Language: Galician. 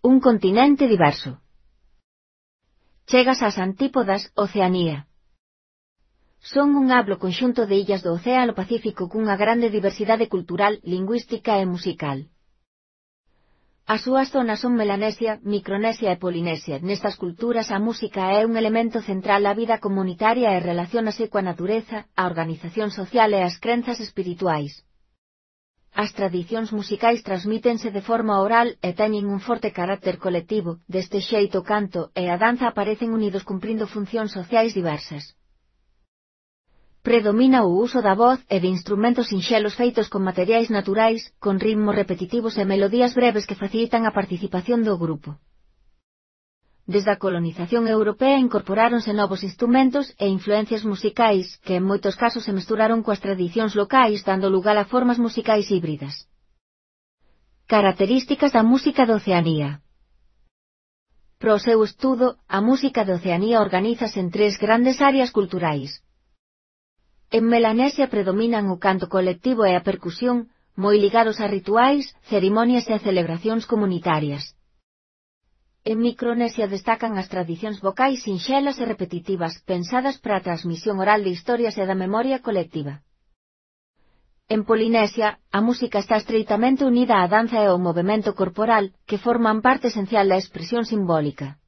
un continente diverso. Chegas ás antípodas, Oceanía. Son un amplo conxunto de illas do Océano Pacífico cunha grande diversidade cultural, lingüística e musical. As súas zonas son Melanesia, Micronesia e Polinesia. Nestas culturas a música é un elemento central á vida comunitaria e relaciónase coa natureza, a organización social e as crenzas espirituais. As tradicións musicais transmítense de forma oral e teñen un forte carácter colectivo. Deste xeito o canto e a danza aparecen unidos cumprindo funcións sociais diversas. Predomina o uso da voz e de instrumentos sinxelos feitos con materiais naturais, con ritmos repetitivos e melodías breves que facilitan a participación do grupo. Desde a colonización europea incorporáronse novos instrumentos e influencias musicais que en moitos casos se mesturaron coas tradicións locais dando lugar a formas musicais híbridas. Características da música de Oceanía. Pro seu estudo, a música de Oceanía organízase en tres grandes áreas culturais. En Melanesia predominan o canto colectivo e a percusión, moi ligados a rituais, cerimonias e celebracións comunitarias. En Micronesia destacan as tradicións vocais sinxelas e repetitivas, pensadas para a transmisión oral de historias e da memoria colectiva. En Polinesia, a música está estreitamente unida á danza e ao movemento corporal, que forman parte esencial da expresión simbólica.